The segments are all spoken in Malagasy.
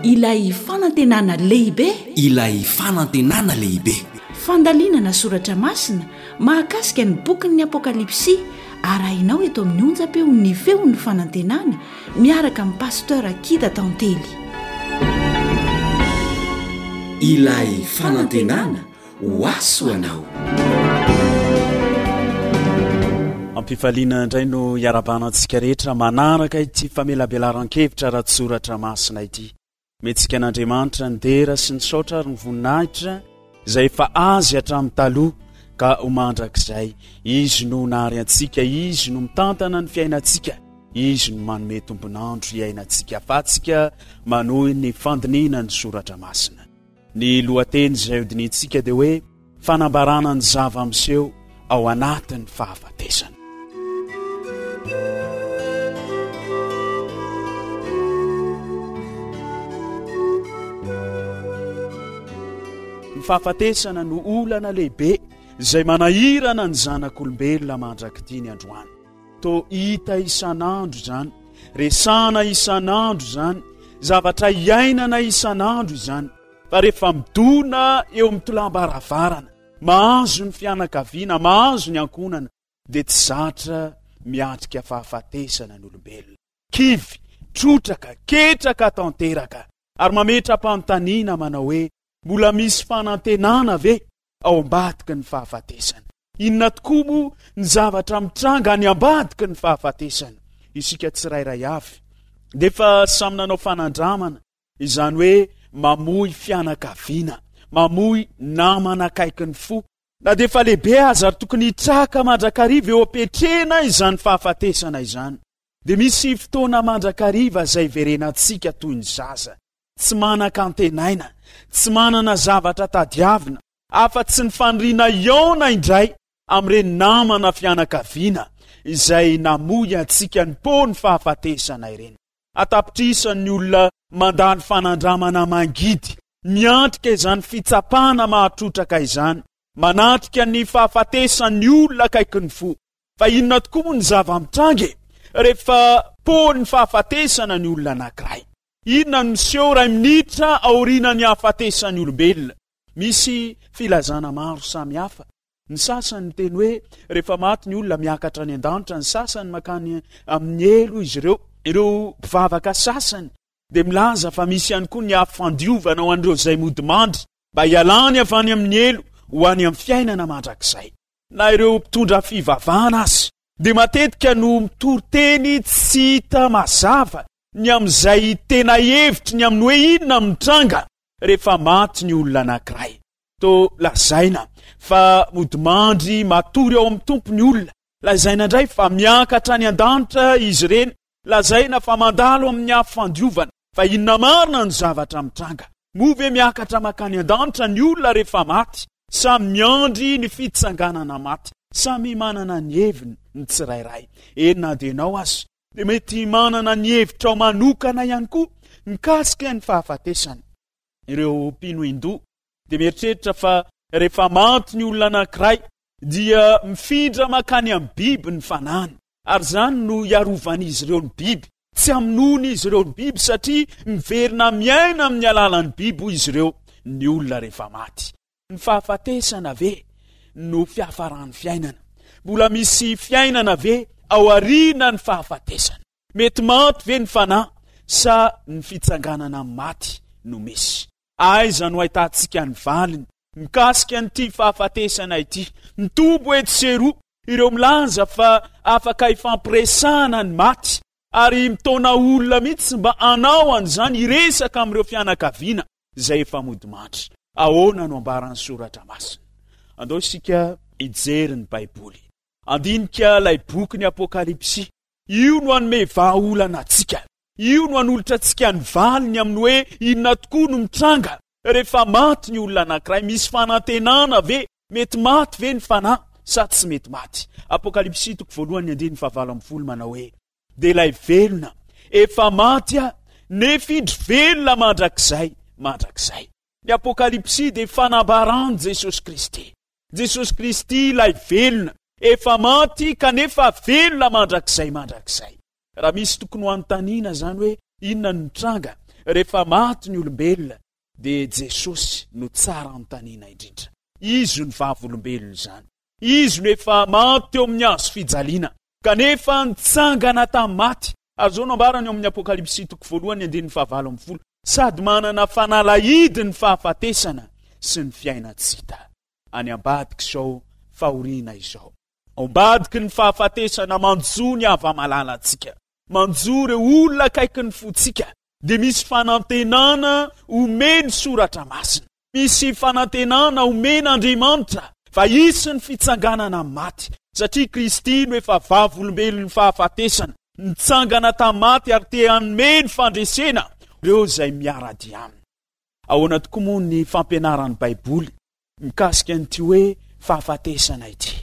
Ilay fanantenana lehibe. Ilay fanantenana lehibe. Fandalinana soratra masina mahakasika ny bokin'ny Apokalypsy arahinao eto amin'ny onjam-peon'ny Feon'ny Fanantenana miaraka amin'i Pasteur Akida Tantely. Ilay fanantenana ho ahy sy ho anao. Ampifaliana indray no iarabana antsika rehetra manaraka ity famelabelaran-kevitra ara-tsoratra masina ity. Metsika an'Andriamanitra ny dera sy ny saotra ary ny voninahitra izay efa azy hatramin'ny taloha ka ho mandrakizay. Izy no nahary antsika, Izy no mitantana ny fiainantsika, Izy no manome tombon'andro hiainantsika afatsika manohy ny fandinihina ny soratra masina. Ny lohateny izay hodinihintsika dia hoe Fanambarana ny zava-miseho ao anatin'ny fahafatesana. Ny fahafatesana no olana lehibe izay manahirana ny zanak'olombelona mandrak'ity ny androany. Toa hita isan'andro izany, resahana isan'andro izany, zavatra iainana isan'andro izany. Fa rehefa midona eo amin'ny tolam-baravarana, mahazo ny fianakaviana, mahazo ny ankohonana, dia tsy zatra miatrika fahafatesana ny olombelona. Kivy, trotraka, ketraka tanteraka, ary mametra-panontaniana manao hoe, mbola misy fanantenana ve ao ambadiky ny fahafatesana? Inona tokoa moa ny zavatra mitranga any ambadiky ny fahafatesana? Isika tsirairay avy dia efa samy nanao fanandramana, izany hoe mamoy fianakaviana, mamoy namana akaiky ny fo. Na dia efa lehibe aza ary tokony hitraka mandrakariva eo am-piatrehana izany fahafatesana izany, dia misy fotoana mandrakariva izay iverenantsika toy ny zaza, tsy manan-kantenaina, tsy manana zavatra tadiavina, afa-tsy ny faniriana hihaona indray amin'ireny namana fianakaviana izay namoy antsika nipoa ny fahafatesana ireny. An-tapitrisany ny olona mandalo fanandramana mangidy, miatrika izany fitsapana mahatrotraka izany, manatrika ny fahafatesan'ny olona akaikin'ny fo. Fa inona tokoa moa ny zava-mitranga e? Rehefa poan'ny fahafatesana ny olona anankiray. Inona no miseho iray minitra aorianan'ny hahafatesan'ny olombelona? Misy filazana maro samihafa. Ny sasany miteny hoe rehefa maty ny olona miakatra any an-danitra, ny sasany mankany amin'ny helo izy ireo. Ireo mpivavaka sasany dia milaza fa misy ihany koa ny afo fandiovana ho an'ireo izay mody mandry mba hialany avy any amin'ny helo ho any amin'ny fiainana mandrakizay. Na ireo mpitondra fivavahana aza dia matetika no mitory teny tsy hita mazava ny amin'izay tena hevitry ny amin'ny hoe inona no mitranga rehefa maty ny olona anankiray. Toa lazaina fa modimandry matory ao amin'ny Tompo ny olona. Lazaina indray fa miakatra any an-danitra izy ireny. Lazaina fa mandalo amin'ny afo fandiovana. Fa inona marina no zavatra mitranga? Moa ve miakatra mankany an-danitra ny olona rehefa maty sa miandry ny fitsanganana maty? Samy manana ny heviny ny tsirairay. Eny na dia ianao aza dia mety manana ny hevitrao manokana ihany koa mikasika ny fahafatesana. Ireo mpino Hindoa dia mieritreritra fa rehefa maty ny olona anankiray dia mifindra mankany amin'ny biby ny fanahiny ary izany no hiarovan'izy ireo ny biby. Tsy hamonoana izy ireo ny biby satria miverina miaina amin'ny alalan'ny biby hoy izy ireo ny olona rehefa maty. Ny fahafatesana ve no fiafaran'ny fiainana? Mbola misy fiainana ve aorianan'ny fahafatesana? Mety maty ve ny fanahy sa ny fitsanganana amin'ny maty no misy? Aiza no ahitantsika ny valiny mikasika an'ity fahafatesana ity? Mitombo etsy sy eroa ireo milaza fa afaka ifampiresahana ny maty ary mitaona olona mihitsy mba hanao an'izany hiresaka amin'ireo fianakaviana izay efa modimandry. Ahoana no ambaran'ny Soratra Masina? Andao isika hijery ny Baiboly. Handinika ilay bokin'ny Apokalypsy. Io no hanome vahaolana antsika. Io no hanolotra antsika ny valiny amin'ny hoe inona tokoa no mitranga rehefa maty ny olona anankiray. Misy fanantenana ve? Mety maty ve ny fanahy sa tsy mety maty? Apokalypsy toko voalohany andininy fahavalo ambin'ny folo manao hoe dia ilay velona efa maty aho nefa indro velona mandrakizay mandrakizay. Ny Apokalypsy dia fanambaran'i Jesosy Kristy. Jesosy Kristy ilay velona efa maty kanefa velona mandrakizay mandrakizay. Raha misy tokony ho anontaniana izany hoe inona no mitranga. Rehefa maty ny olombelona dia Jesosy no tsara anontaniana indrindra. Izy no vavolombelon'izany. Izy no efa maty teo amin'ny hazo fijaliana, kanefa nitsangana tamin'ny maty. Ary izao no ambarany ao amin'ny Apokalypsy toko voalohany andininy fahavalo ambin'ny folo, Sady manana fanalahidy ny fahafatesana sy ny fiainan-tsy hita. Any ambadik'izao fahoriana izao, ao ambadiky ny fahafatesana manjo ny hava-malalantsika, manjo ireo olona akaikin'ny fontsika, dia misy fanantenana omen'ny Soratra Masina. Misy fanantenana omen'Andriamanitra fa hisy ny fitsanganana amin'ny maty, satria Kristy no efa vavolombelon'ny fahafatesana, nitsangana tamin'ny maty ary te hanome ny fandresena ireo izay miara-dia aminy. Ahoana tokoa moa ny fampianaran'ny Baiboly mikasika an'ity hoe fahafatesana ity?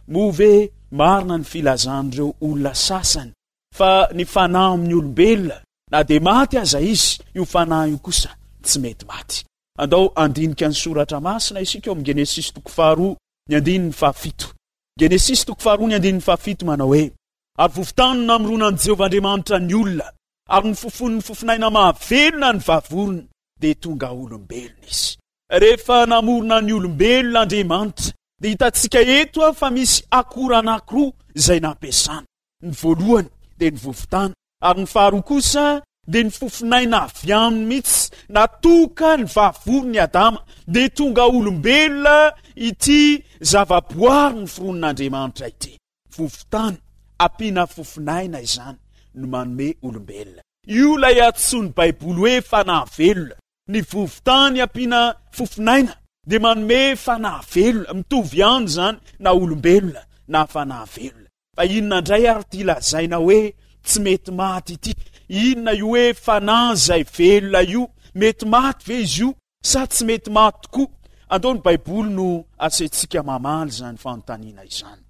Moa ve marina ny filazan'ireo olona sasany fa ny fanahy amin'ny olombelona Na dia maty aza izy, io fanahy io kosa tsy mety maty. Andao handinika ny soratra masina isika ao amin'ny Genesisy toko faharoa ny andininy fahafito. Genesisy toko faharoa ny andininy fahafito manao hoe, Ary vovon-tany no namoronan'i Jehovah Andriamanitra ny olona, ary nofofonin'ny fofonaina mahavelona ny vavorony, dia tonga olombelona izy. Rehefa namorona ny olombelona Andriamanitra, dia hitantsika eto fa misy akora anankiroa izay nampiasana. Ny voalohany dia ny vovon-tany, ary ny faharoa kosa dia ny fofonaina avy aminy mihitsy. Natoka ny vavoron'i Adama, dia tonga olombelona ity zavaboary noforonin'Andriamanitra ity. Vovon-tany ampiana fofonaina izany no manome olombelona. Io ilay antsoin'ny Baiboly hoe fanahy velona. Ny vovo-tany ampiana fofon'aina dia manome fanahy velona, mitovy ihany izany na olombelona na fanahy velona. Fa inona indray ary ity lazaina hoe tsy mety maty ity? Inona io hoe fanahy izay velona io? Mety maty ve izy io sa tsy mety maty tokoa? Andao ny Baiboly no asaintsika mamaly izany fanontaniana izany.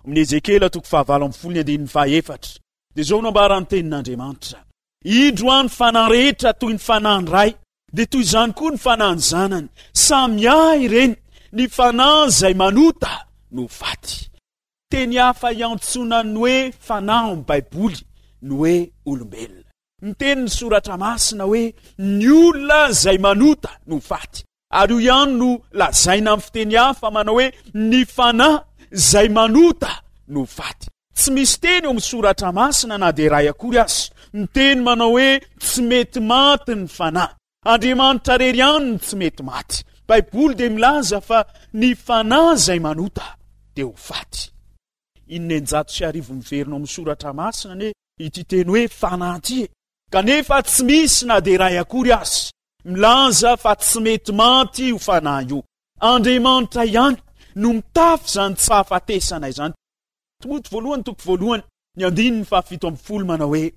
Amin'ny Ezekiela toko fahavalo ambin'ny folo ny andininy fahaefatra dia izao no ambaran'ny tenin'Andriamanitra. Indro aho ny fanahy rehetra toy ny fanahin'ny Ray, dia toy izany koa ny fanahin'ny Zanany. Samy ahy ireny, ny fanahy izay manota no faty. Teny hafa iantsoana ny hoe fanahy ao amin'ny Baiboly ny hoe olombelona. Miteny ny Soratra Masina hoe ny olona izay manota no faty. Ary io ihany no lazaina amin'ny fiteny hafa manao hoe ny fanahy izay manota no faty. Tsy misy teny eo amin'ny soratra masina na dia iray akory aza miteny manao hoe tsy mety maty ny fanahy. Andriamanitra irery ihany no tsy mety maty. Baiboly dia milaza fa ny fanahy izay manota dia ho faty. Inenjato sy arivo miverina ao amin'ny soratra masina anie ity teny hoe fanahy ity e. Kanefa tsy misy na dia iray akory aza Milaza fa tsy mety maty io fanahy io. Andriamanitra ihany no mitafy izany tsy fahafatesana izany. Timoty voalohany toko voalohany ny andininy fahafito ambin'ny folo manao hoe,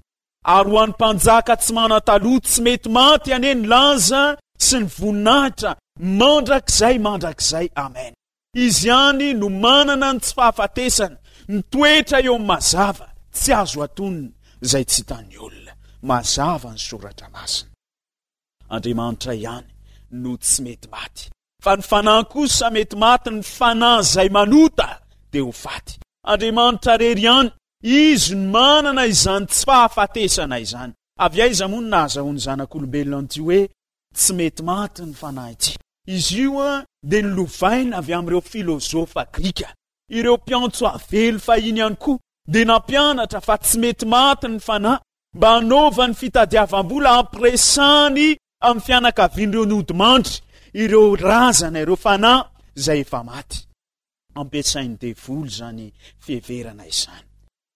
Ary ho an'ny mpanjaka tsy manan-taloha tsy mety maty anie ny laza sy ny voninahitra mandrakizay mandrakizay. Amen. Izy ihany no manana ny tsy fahafatesana, mitoetra eo amin'ny mazava, tsy azo atonina izay tsy hitan'ny olona. Mazava ny soratra masina. Andriamanitra ihany no tsy mety maty. Fa ny fanahy kosa mety maty, ny fanahy izay manota dia ho faty. Andriamanitra rery ihany, Izy no manana izany tsy fahafatesana izany. Avy aiza moa no nahazahoan'ny zanak'olombelona an'ity hoe tsy mety maty ny fanahy ity? Izy io dia nolovaina avy amin'ireo filozofa grika. Ireo mpiantso avelo fahiny ihany koa dia nampianatra fa tsy mety maty ny fanahy mba hanaovany fitadiavam-bola hampiresany amin'ny fianakavian'ireo nodimandry, ireo razana, ireo fanahy izay efa maty. Ampiasain'ny devoly izany fiheverana izany.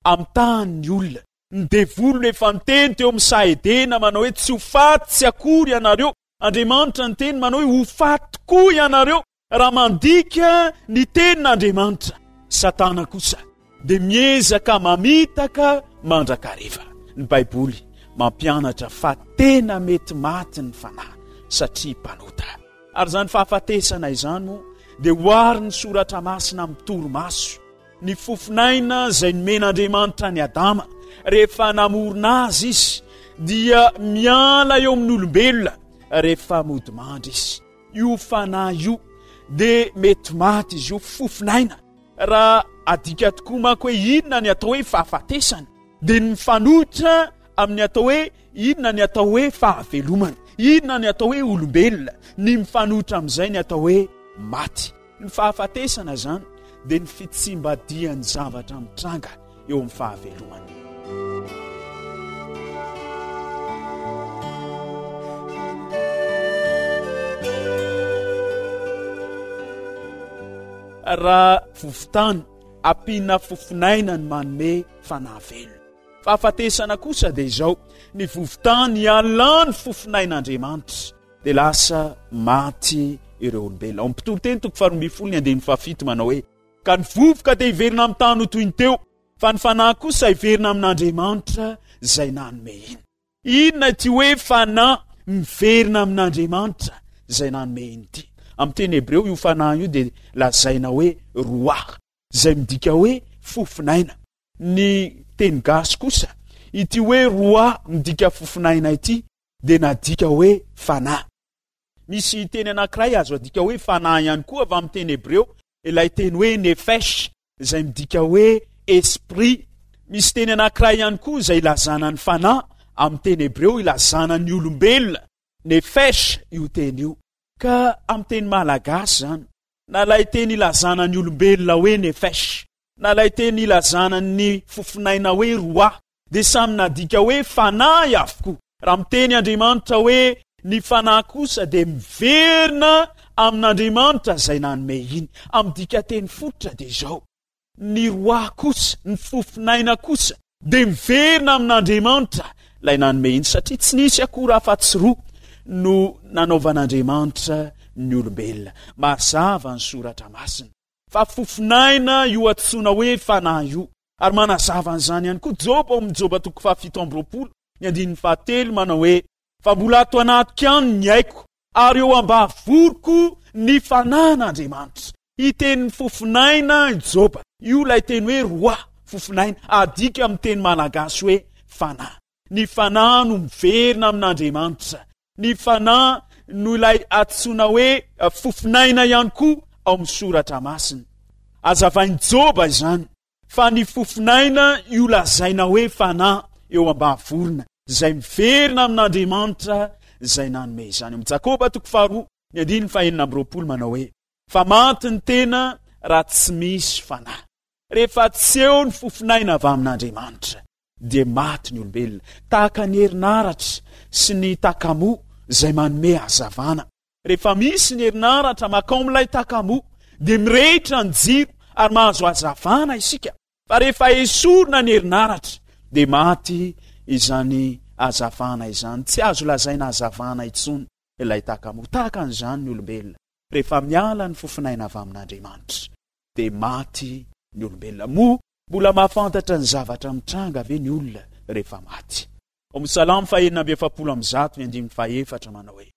Amitahany ny olona. Ny devoly no efa niteny teo amin'ny saha Edena manao hoe tsy ho faty tsy akory ianareo. Andriamanitra niteny manao hoe ho faty tokoa ianareo. Raha mandika ny tenin'Andriamanitra, Satana kosa dia miezaka mamitaka mandrakariva. Ny Baiboly mampianatra fa tena mety maty ny fanahy satria mpanota. Ary izany fahafatesana izany moa dia oharin'ny Soratra Masina amin'ny torimaso. Ny fofon'aina izay nomen'Andriamanitra an'i Adama rehefa namorona azy izy dia miala eo amin'ny olombelona rehefa modimandry izy. Io fanahy io dia mety maty izy io, fofon'aina. Raha adika tokoa manko hoe inona ny atao hoe fahafatesana dia ny mifanohitra amin'ny atao hoe inona ny atao hoe fahavelomana, inona ny atao hoe olombelona, ny mifanohitra amin'izay ny atao hoe maty. Ny fahafatesana izany dia ny fitsimbadihan'ny zavatra mitranga eo amin'ny fahavelomana. Raha vovon-tany ampiana fofon'aina ny manome fanahy velona. Fahafatesana kosa dia izao, ny vovon-tany ialany fofon'ain'Andriamanitra dia lasa maty ireo olombelona. Ao amin'ny Mpitoriteny toko faharoa ambin'ny folo ny andininy fahafito manao hoe, Ka ny vovoka dia hiverina amin'ny tany ho toy ny teo, fa ny fanahy kosa hiverina amin'Andriamanitra izay nanome iny. Inona ity hoe fanahy miverina amin'Andriamanitra izay nanome iny ity? Amin'ny teny hebreo io fanahy io dia lazaina hoe roah, izay midika hoe fofon'aina. Ny teny gasy kosa, ity hoe roah midika fofon'aina ity dia nadika hoe fanahy. Misy teny anankiray azo adika hoe fanahy ihany koa avy amin'ny teny hebreo, ilay teny hoe nefesh, izay midika hoe esprit. Misy teny anankiray ihany koa izay ilazana ny fanahy amin'ny teny hebreo ilazana ny olombelona, nefesh io teny io. Ka amin'ny teny malagasy izany, na ilay teny ilazana ny olombelona hoe nefesh, na ilay teny ilazana ny fofonaina hoe ruah, dia samy nadika hoe fanahy avokoa. Raha miteny Andriamanitra hoe ny fanahy kosa dia miverina amin'Andriamanitra izay nanome iny. Amin'ny dikanteny fototra dia izao, ny roah kosa, ny fofon'aina kosa dia miverina amin'Andriamanitra ilay nanome iny satria tsy nisy akory afa-tsy roa no nanaovan'Andriamanitra ny olombelona. Mazava ny soratra masina fa fofon'aina io antsoina hoe fanahy io. Ary manazava an'izany ihany koa Joba ao amin'ny Joba toko fahafito amby roapolo, ny andininy fahatelo, manao hoe, Fa mbola ato anatiko ihany ny aiko, ary eo am-bavoroko ny fanan'Andriamanitra. Hiteny fofon'aina i Joba. Io ilay teny hoe roah, fofon'aina, adika amin'ny teny malagasy hoe fanahy. Ny fanahy no miverina amin'Andriamanitra. Ny fanahy no ilay antsoina hoe fofon'aina ihany koa ao amin'ny soratra masina. Azavain'i Joba izany fa ny fofon'aina io lazaina hoe fanahy eo am-bavorona izay miverina amin'Andriamanitra izay nanome izany. Ao amin'ny Jakoba toko faharoa ny andininy fahenina amby roapolo manao hoe fa maty ny tena raha tsy misy fanahy. Rehefa tsy eo ny fofon'aina avy amin'Andriamanitra dia maty ny olombelona, tahaka ny herinaratra sy ny takamoa izay manome hazavana. Rehefa misy ny herinaratra makao amin'ilay takamoa dia mirehitra ny jiro ary mahazo hazavana isika, fa rehefa esorina ny herinaratra dia maty izany hazavana izany, tsy azo lazaina hazavana intsony ilay takamoa. Tahaka an'izany ny olombelona, rehefa miala ny fofon'aina avy amin'Andriamanitra dia maty ny olombelona. Moa Mbola mahafantatra ny zavatra mitranga ve ny olona rehefa maty? Ao amin'ny Salamo fahenina amby efapolo amby zato ny andininy fahefatra manao hoe,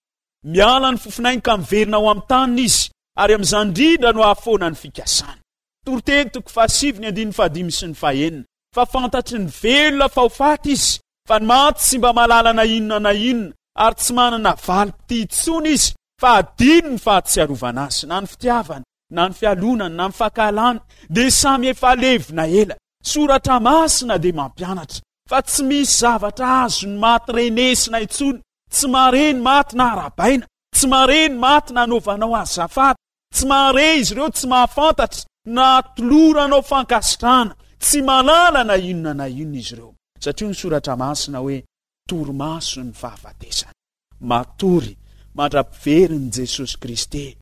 Miala ny fofonainy ka miverina ao amin'ny taniny izy, ary amin'izany indrindra no hahafoana ny fikasany. Toriteny toko fahasivy ny andininy fahadimy sy ny fahenina, Fa fantatry ny velona fa ho faty izy, fa ny maty tsy mba mahalala na inona na inona, ary tsy manana valim-pitia intsony izy, fa hadino ny fahatsiarovana azy, na ny fitiavany, na ny fialonana na ny fankahalana dia samy efa levona ela. Soratra masina dia mampianatra fa tsy misy zavatra azon'ny maty renesina intsony, tsy mahare ny maty na arahabaina, tsy mahare ny maty na anaovanao azafady, tsy mahare izy ireo, tsy mahafantatra na atoloranao fankasitrahana, tsy mahalala na inona na inona izy ireo. Satria hoy ny soratra masina hoe torimaso ny fahafatesana. Matory mandra-piverin'i Jesosy Kristy.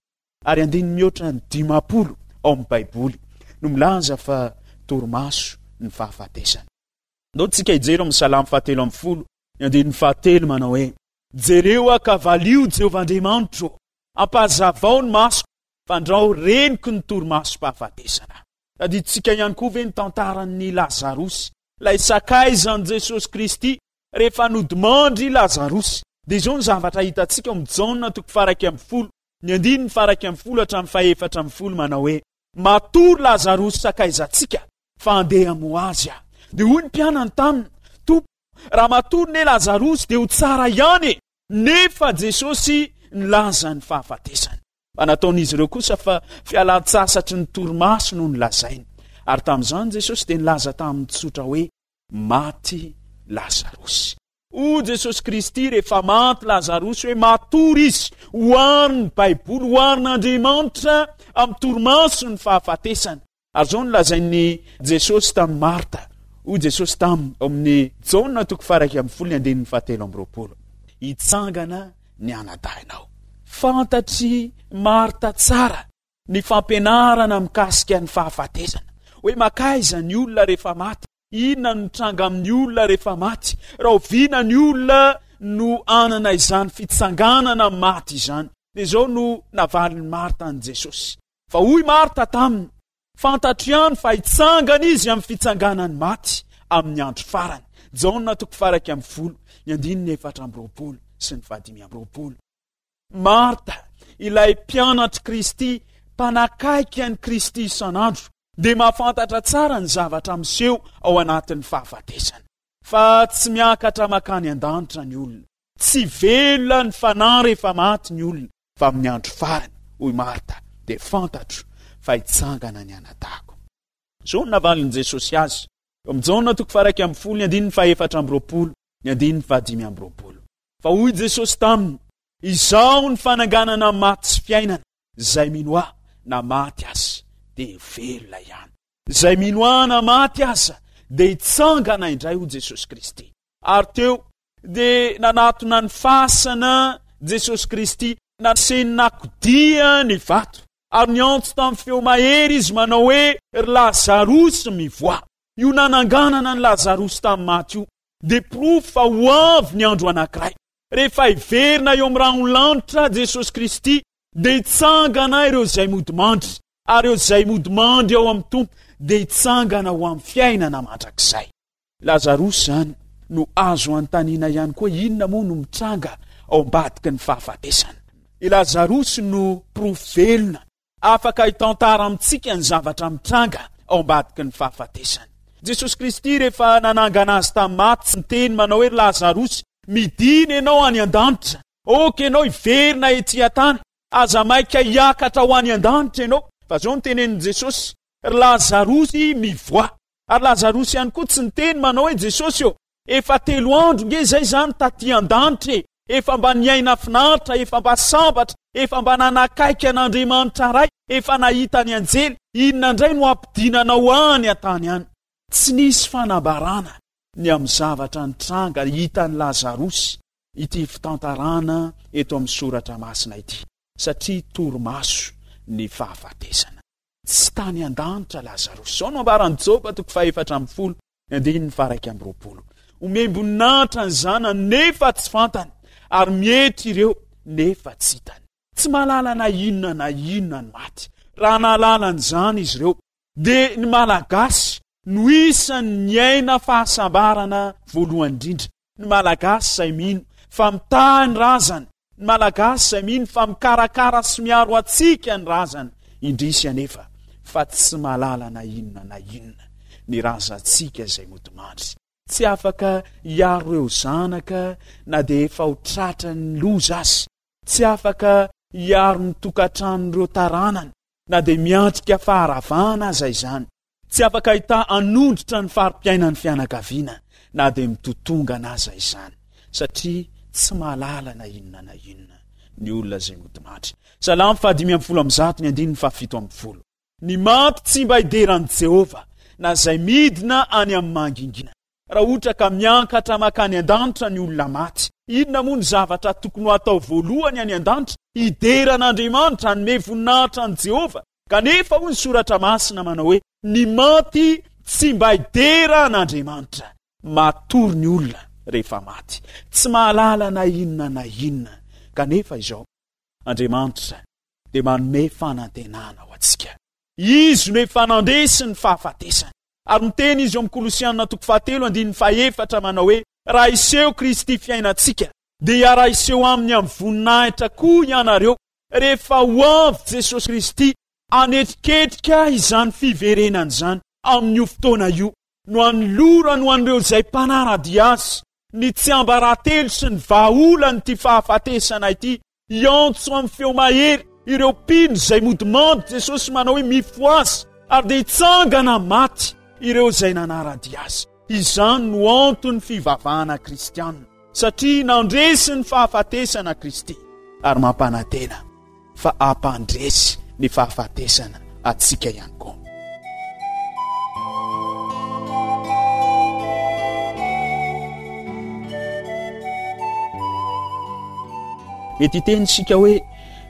Ary andininy mihoatra ny 50 ao amin'ny Baiboly no milaza fa torimaso ny fahafatesana. Ndao tsika hijery ao amin'ny Salamo fahatelo ambin'ny folo, ny andininy fahatelo manao hoe, Jereo aho ka valio Jehovah Andriamanitro ô, ampahazavao ny masoko, fandrao reniko ny torimasom-pahafatesana. Tadidintsika ihany koa ve ny tantaran'i Lazarosy, ilay sakaizan'i Jesosy Kristy, rehefa nodimandry i Lazarosy? Dia izao ny zavatra hitantsika ao amin'ny Jaona toko faha-iraika ambin'ny folo, Ny andininy faha-11 hatramin'ny faha-14 manao hoe, Matory Lazarosy sakaizantsika, fa handeha hamoha azy aho. Dia hoy ny mpianany taminy, Tompo, raha matory ne Lazarosy dia ho tsara ihany e! Nefa Jesosy nilaza ny fahafatesany. Fa nataon'izy ireo kosa fa fialan-tsasatry ny torimaso no nolazainy. Ary tamin'izany Jesosy dia nilaza taminy tsotra hoe, Maty. Lazarosy. Hoy Jesosy Kristy rehefa maty Lazarosy hoe matory izy, oharin'ny Baiboly, oharin'Andriamanitra amin'ny torimaso ny fahafatesana. Ary izao no lazain'i Jesosy tamin'i Marta, hoy Jesosy taminy ao amin'ny Jaona toko faha-11 ny andininy fahatelo amby 20, Hitsangana ny anadahinao. Fantatr'i Marta tsara ny fampianarana mikasika ny fahafatesana, hoe makaiza ny olona rehefa maty, inona no mitranga amin'ny olona rehefa maty, rahoviana ny olona no hanana izany fitsanganana amin'ny maty izany. Dia izao no navalin'i Marta an'i Jesosy. Fa hoy Marta taminy, Fantatro ihany fa hitsangana izy amin'ny fitsanganan'ny maty amin'ny andro farany. Jaona toko faha-11, ny andininy 24 sy ny faha-25. Marta, ilay mpianatr'i Kristy, mpanakaiky an'i Kristy isan'andro, dia mahafantatra tsara ny zavatra miseho ao anatin'ny fahafatesana. Fa tsy miakatra mankany an-danitra ny olona. Tsy velona ny fanahy rehefa maty ny olona, fa amin'ny andro farany, hoy Marta, dia fantatro fa hitsangana ny anadahiko. Izao no navalin'i Jesosy azy, eo amin'ny Jaona toko faha-11, ny andininy faha-24, ny andininy faha-25. Fa hoy Jesosy taminy, Izaho ny fananganana ny maty sy fiainana, izay mino Ahy, na maty aza, dia velona ihany. Izay mino Ahy na maty aza, dia hitsangana indray, hoy Jesosy Kristy. Ary teo dia nanatona ny fasana Jesosy Kristy, naseny nakodia ny vato, ary niantso tamin'ny feo mahery Izy manao hoe, Ry Lazarosy, mivoaha! Io nananganana an'i Lazarosy tamin'ny maty io dia porofo fa ho avy ny andro anankiray, rehefa hiverina eo amin'ny rahon'ny lanitra Jesosy Kristy, dia hitsangana ireo izay modimandry, ary ireo izay modimandry ao amin'ny Tompo dia hitsangana ho amin'ny fiainana mandrakizay. Lazarosy izany no azo anontaniana ihany koa inona moa no mitranga ao ambadiky ny fahafatesana. I Lazarosy no porofo velona afaka hitantara amintsika ny zavatra mitranga ao ambadiky ny fahafatesana. Jesosy Kristy rehefa nanangana azy tamin'ny maty tsy niteny manao hoe ry Lazarosy midina ianao any an-danitra, ok ianao hiverina ety an-tany, aza maika hiakatra ho any an-danitra ianao. Fa izao no tenenin'i Jesosy, ry Lazarosy mivoaha. Ary Lazarosy ihany koa tsy niteny manao hoe Jesosy ô, efa telo andro nge izay izany taty an-danitra e, efa mba niaina finaritra, efa mba sambatra, efa mba nanakaiky an'Andriamanitra Ray, efa nahita ny anjely, inona indray no hampidinanao any an-tany any? Tsy nisy fanambarana ny amin'ny zavatra nitranga hitan'i Lazarosy ity fitantarana eto amin'ny soratra masina ity, satria torimaso ny fahafatesana. Tsy tany an-danitra Lazarosy. Izao no ambaran'i Joba toko faha-14, ny andininy faha-21. Omem-boninahitra ny zanany nefa tsy fantany, ary mietry ireo nefa tsy hitany. Tsy mahalala na inona na inona ny maty. Raha nahalala an'izany izy ireo, dia ny Malagasy no isan'ny niaina fahasambarana voalohany indrindra. Ny Malagasy izay mino fa mitahy ny razany, ny Malagasy izay mino fa mikarakara sy miaro antsika ny razana, indrisy anefa fa tsy mahalala na inona na inona ny razantsika izay modimandry. Tsy afaka hiaro ireo zanaka na dia efa ho tratran'ny loza aza, tsy afaka hiaro ny tokantranon'ireo taranany na dia miantrika faharavana aza izany. Tsy afaka hitaha hanondrotra ny fari-piainan'ny fianakaviana na dia mitotongana aza izany, satria tsy mahalala na inona na inona ny olona izay nodimandry. Salamo faha-115 ny andininy faha-17. Ny maty tsy mba hidera an'i Jehovah, na izay midina any amin'ny mangingina. Raha ohatra ka miankatra mankany an-danitra ny olona maty, inona moa no zavatra tokony ho atao voalohany any an-danitra? Hidera an'Andriamanitra, hanome voninahitra an'i Jehovah. Kanefa hoy ny Soratra Masina manao hoe, Ny maty tsy mba hidera an'Andriamanitra. Matory ny olona rehefa maty. Tsy mahalala na inona na inona. Kanefa izao, Andriamanitra dia manome fanantenana ho antsika. Izy no efa nandresy ny fahafatesana. Ary miteny izy eo amin'ny Kolosiana toko fahatelo andininy fahefatra manao hoe, Raha hiseho Kristy fiainantsika, dia hiara-hiseho aminy amin'ny voninahitra koa ianareo. Rehefa ho avy Jesosy Kristy hanetriketrika izany fiverenany izany, amin'io fotoana io no hanolorany ho an'ireo izay mpanara-dia Azy ny tsiambaratelo sy ny vahaolan'ity fahafatesana ity, hiantso amin'ny feo mahery ireo mpino izay modimandry Jesosy manao hoe mifohaza ary dia hitsangana maty ireo izay nanara-dia Azy. Izany no anton'ny fivavahana kristiana, satria nandresy ny fahafatesana Kristy ary mampanantena fa hampandresy ny fahafatesana antsika ihany koa. Mety hiteny isika hoe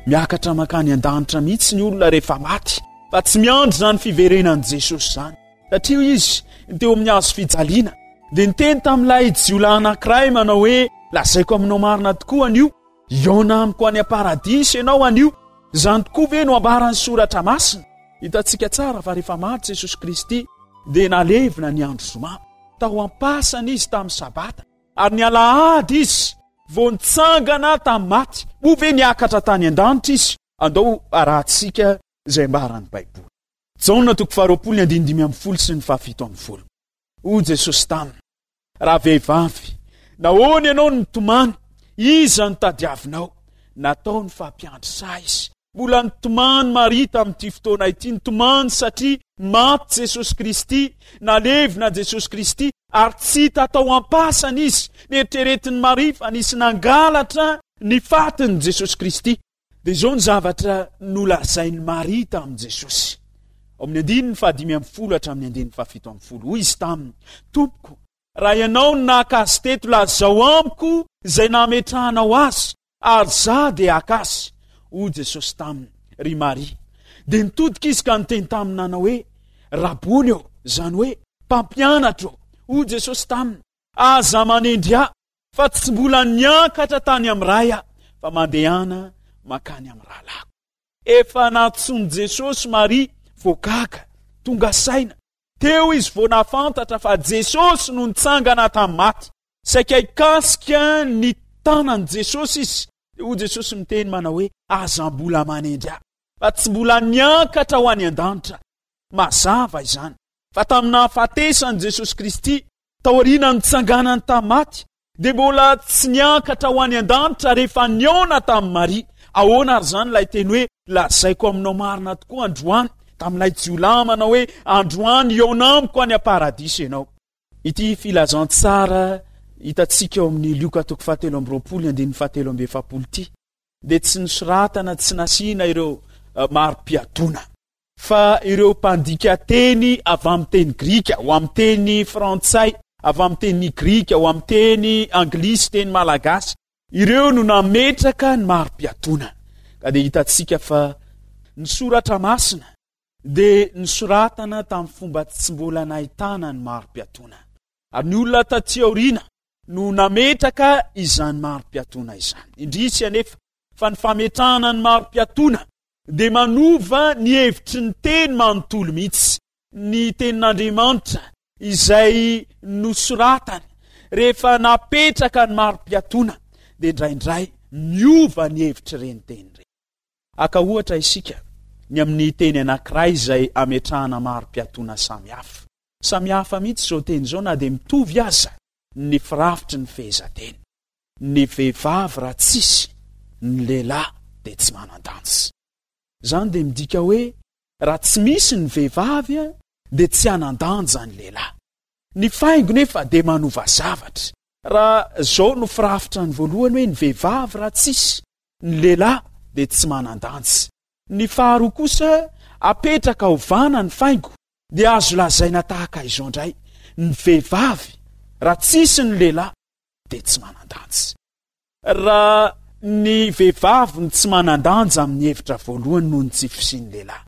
miakatra mankany an-danitra mihitsy ny olona rehefa maty, fa tsy miandry izany fiverenan'i Jesosy izany. Satria hoy izy, teo amin'ny hazo fijaliana, dia niteny tamin'ilay jiolahy anankiray manao hoe, Lazaiko aminao marina tokoa anio, hihaona amiko any am-paradisa ianao anio. Izany tokoa ve no ambaran'ny Soratra Masina? Hitantsika tsara fa rehefa maty Jesosy Kristy, dia nalevina ny andro zoma. Tao am-pasana izy tamin'ny Sabata, ary ny alahady izy vao nitsangana tamin'ny maty. Moa ve niakatra tany an-danitra izy? Andao arahantsika izay ambaran'ny Baiboly. Jaona toko faharoapolo ny andininy 15 sy ny faha-17. Hoy Jesosy taminy, Ravehivavy, nahoana ianao no mitomany? Iza no tadiavinao? Nataony fa mpiandry saha izy. Mbola nitomany Maria tamin'ity fotoana ity, nitomany satria maty Jesosy Kristy, nalevina Jesosy Kristy, ary tsy hita tao am-pasana izy. Neritreretin'i Maria fa nisy nangalatra ny fatin'i Jesosy Kristy. Dia izao ny zavatra nolazain'i Maria tamin'i Jesosy, ao amin'ny andininy fahadimy ambin'ny folo hatramin'ny andininy fahafito ambin'ny folo. Hoy izy taminy, Tompoko, raha ianao no naka azy teto, lazao amiko izay nametrahanao azy, ary izaho dia haka azy. Hoy Jesosy taminy, Ry Maria. Dia nitodika izy ka niteny taminy nanao hoe, Rabony ô, izany hoe, Mpampianatra ô. Hoy Jesosy taminy, Aza manendry ahy, Fa tsy mbola niakatra tany amin'ny Ray aho, fa mandehana mankany amin'ny rahalahiko. Efa nantsoin'i Jesosy Maria vao gaga, tonga saina. Teo izy vao nahafantatra fa Jesosy no nitsangana tamin'ny maty. Saika hikasika ny tanan'i Jesosy izy. Dia hoy Jesosy miteny manao hoe, Aza mbola manendry ahy, fa tsy mbola niakatra ho any an-danitra. Mazava izany, fa tamin'ny nahafatesan'i Jesosy Kristy, Taoriana nitsanganany tamin'ny maty, dia mbola tsy niakatra ho any an-danitra rehefa nihaona tamin'i Maria. Ahoana ary izany ilay teny hoe, Lazaiko aminao marina tokoa androany, tamin'ilay jiolahy manao hoe, Androany hihaona amiko any am-paradisa ianao. Ity filazantsara hitantsika ao amin'ny Lioka toko fahatelo amby roapolo andininy fahatelo amby efapolo ity dia tsy nosoratana, tsy nasiana ireo mari-piatoana. Fa ireo mpandika teny avy amin'ny teny grika ho amin'ny teny frantsay, avy amin'ny teny grika ho amin'ny teny anglisy, teny malagasy, ireo no nametraka ny mari-piatoana. Ka dia hitantsika fa ny soratra masina dia nosoratana tamin'ny fomba tsy mbola nahitana ny mari-piatoana. Ary ny olona taty aoriana no nametraka izany mari-piatoana izany. Indrisy anefa fa ny fametrahana ny mari-piatoana dia manova ny hevitry ny teny manontolo mihitsy ny tenin'Andriamanitra izay nosoratany rehefa napetraka ny mari-piatoana dia indraindray miova ny hevitr'ireny teny ireny. Haka ohatra isika ny amin'ny teny anankiray izay ametrahana mari-piatoana samy hafa. Samy hafa mihitsy izao teny izao na dia mitovy aza ny firafitry ny fehezanteny. Ny vehivavy raha tsisy ny lehilahy dia tsy manan-danja. Izany dia midika hoe raha tsy misy ny vehivavy dia tsy hanan-danja ny lehilahy. Ny faingo nefa dia manova zavatra. Raha izao no firafitra ny voalohany hoe ny vehivavy raha tsisy ny lehilahy dia tsy manan-danja. Ny faharoa kosa apetraka ovana ny faingo dia azo lazaina tahaka izao indray, ny vehivavy raha tsisy ny lehilahy dia tsy manan-danja. Raha ny vehivavy no tsy manan-danja amin'ny hevitra voalohany noho ny tsy fisian'ny lehilahy,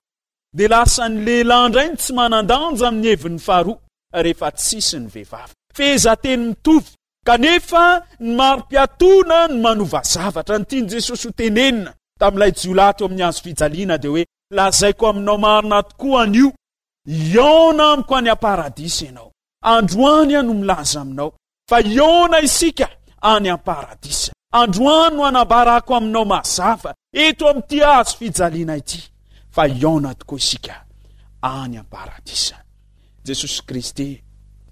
dia lasa ny lehilahy indray no tsy manan-danja amin'ny heviny faharoa rehefa tsisy ny vehivavy. Fehezanteny mitovy, kanefa ny mari-piatoana no manova zavatra. Ny tian'i Jesosy ho tenenina tamin'ilay jiolahy teo amin'ny hazo fijaliana dia hoe, Lazaiko aminao marina tokoa anio, hihaona amiko any am-paradisa ianao. Androany aho no milaza aminao fa hihaona isika any am-paradisa. Androany no anambarako aminao mazava eto amin'ity hazo fijaliana ity fa hihaona tokoa isika any am-paradisa. Jesosy Kristy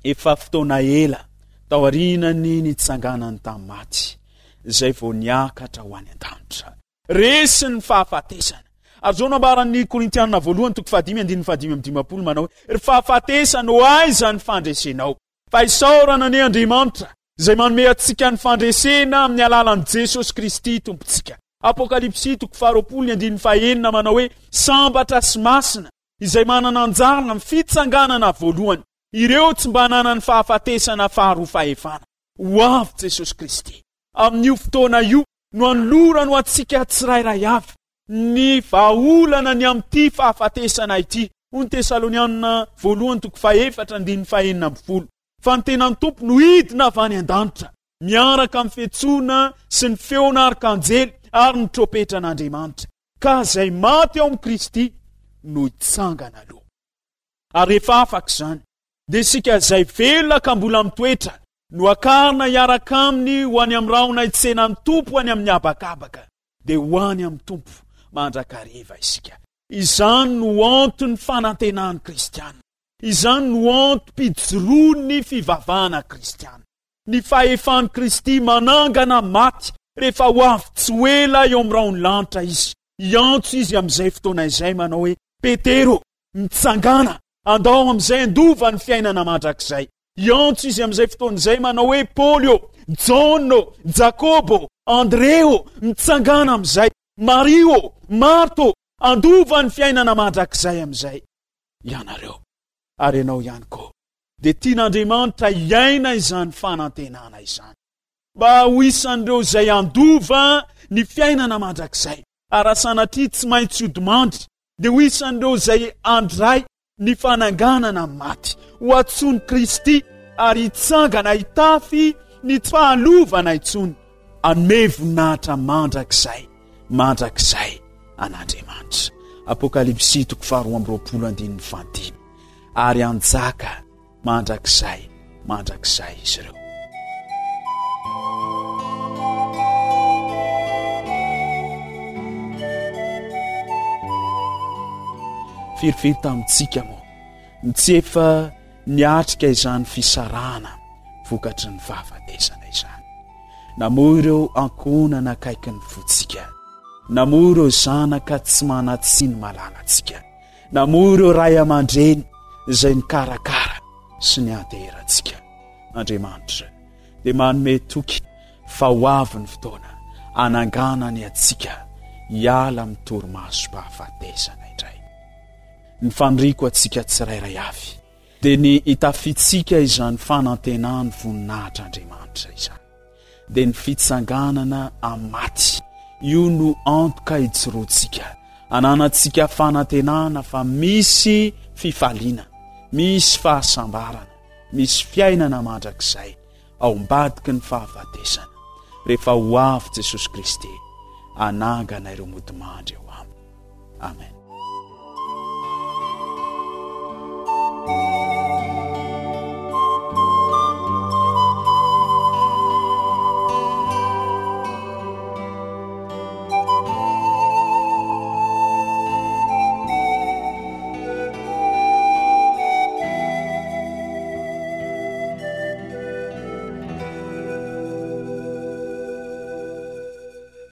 efa fotoana ela taorian'ny nitsanganany tamin'ny maty izay vao niakatra ho any an-danitra. Resy ny fahafatesana. Ary izao no ambaran'ny Korintianina voalohany toko fahadimy andininy fahadimy amby dimampolo manao hoe, Ry fahafatesana, ho aiza ny fandresenao? Fa isaorana anie Andriamanitra izay manome antsika ny fandresena amin'ny alalan'i Jesosy Kristy Tompontsika. Apokalypsy toko faharoapolo ny andininy fahenina manao hoe sambatra sy masina izay manana anjara amin'ny fitsanganana voalohany, ireo tsy mba nanan'ny fahafatesana faharoa fahefana. Ho avy Jesosy Kristy. Amin'io fotoana io no anolorany ho antsika tsirairay avy ny vahaolana ny amin'ity fahafatesana ity, hoy ny Tesalonianina voalohany toko fahefatra andininy fahenina ambin'ny folo, fa ny tenan'ny Tompo no hidina avy any an-danitra, miaraka amin'ny fiantsoana sy ny feon'arkanjely ary ny trompetran'Andriamanitra, ka izay maty ao amin'i Kristy no hitsangana aloha. Ary rehefa afaka izany, dia isika izay velona ka mbola mitoetra no hakarina hiaraka aminy ho any amin'ny rahona hitsena ny Tompo any amin'ny habakabaka, dia ho any amin'ny Tompo mandrakariva isika. Izany no anton'ny fanantenan'ny kristiana. Izany no antom-pijoroan'ny fivavahana kristiana. Ny fahefan'i Kristy manangana maty rehefa ho avy tsy ho ela eo amin'ny rahon'ny lanitra Izy. Hiantso Izy amin'izay fotoana izay manao hoe, Petero, mitsangàna, andao amin'izay handova ny fiainana mandrakizay. Hiantso izy amin'izay fotoana izay manao hoe, Paoly ô, Jaona ô, Jakoba ô, Andre ô, mitsangàna amin'izay, Maria ô, Marta ô, handova ny fiainana mandrakizay amin'izay ianareo. Ary ianao ihany koa. Dia tian'Andriamanitra hiaina izany fanantenana izany. Mba ho isan'ireo izay handova ny fiainana mandrakizay. Ary raha sanatria tsy maintsy hodimandry, dia ho isan'ireo izay handray ny fananganana ny maty. Ho antsoin'i Kristy ary hitsangana hitafy ny tsy fahalovana intsony. Hanome voninahitra mandrakizay mandrakizay an'Andriamanitra. Apokalypsy toko faharoa amby roapolo andininy fahadimy. Ary hanjaka mandrakizay mandrakizay izy ireo. Firifiry tamintsika moa no tsy efa niatrika izany fisarahana vokatry ny fahafatesana izany. Namoy ireo ankohonana akaiky ny fontsika, namoy ireo zanaka tsy manan-tsiny malalantsika, namoy ireo ray aman-dreny izay nikarakara sy nianteherantsika. Andriamanitra dia manome toky fa ho avy ny fotoana hananganany antsika hiala amin'ny torimasom-pahafatesana indray. Ny faniriako antsika tsirairay avy dia ny hitafiantsika izany fanantenan'ny voninahitr'Andriamanitra izany. Dia ny fitsanganana amin'ny maty. Io no antoka hijoroantsika, hananantsika fanantenana fa misy fifaliana, misy fahasambarana, misy fiainana mandrakizay ao ambadiky ny fahafatesana rehefa ho avy Jesosy Kristy hanangana ireo modimandry eo aminy. Amen.